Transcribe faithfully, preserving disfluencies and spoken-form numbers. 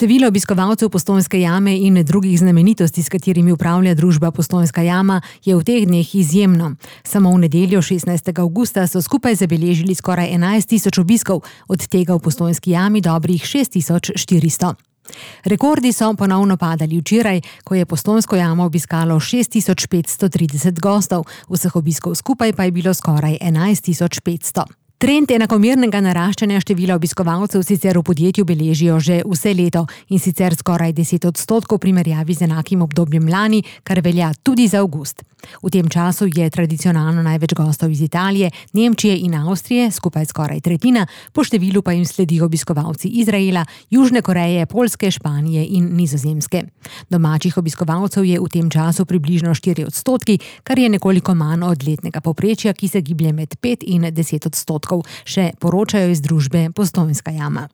Število obiskovalcev Postojnske jame in drugih znamenitosti, s katerimi upravlja družba Postojnska jama, je v teh dneh izjemno. Samo v nedeljo šestnajstega avgusta so skupaj zabeležili skoraj enajst tisoč obiskov, od tega v Postojnski jami dobrih šest tisoč štiristo. Rekordi so ponovno padali včeraj, ko je Postojnsko jamo obiskalo šest tisoč petsto trideset gostov, vseh obiskov skupaj pa je bilo skoraj enajst tisoč petsto. Trend enakomernega naraščanja števila obiskovalcev sicer v podjetju beležijo že vse leto in sicer skoraj deset odstotkov v primerjavi z enakim obdobjem lani, kar velja tudi za avgust. V tem času je tradicionalno največ gostov iz Italije, Nemčije in Avstrije, skupaj skoraj tretjina, po številu pa jim sledijo obiskovalci Izraela, Južne Koreje, Poljske, Španije in Nizozemske. Domačih obiskovalcev je v tem času približno štiri odstotki, kar je nekoliko manj od letnega povprečja, ki se giblje med pet in deset odstotkov. Še poročajo iz družbe Postojnska jama.